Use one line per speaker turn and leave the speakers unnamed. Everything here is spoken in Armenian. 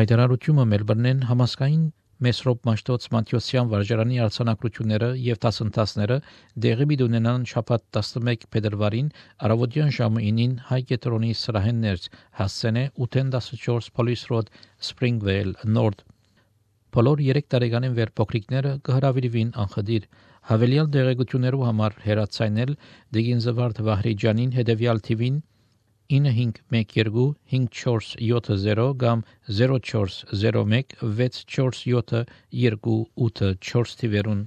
Հայտարարությունը Մելբուրնեն համասկային Մեսրոպ Մաշտոց Մատյոսյան վարժարանի արձանագրությունները եւ դասընթացները դեղի ունենան շաբաթ 11 փետրվարին առավոտյան ժամը 9-ին Հայ կետրոնի սրահեն ներս հասցենե 814 Police Road Springvale North Բոլոր 3 տարեկանին վեր փոքրիկները կհրավիրվին անխդիր հավելյալ դեղեցություններով համար հեռացանել Դեգինզվարդ Վահրիջանին հետևյալ թիվին 9512 5470 կամ 0401 647 2884 թիվերուն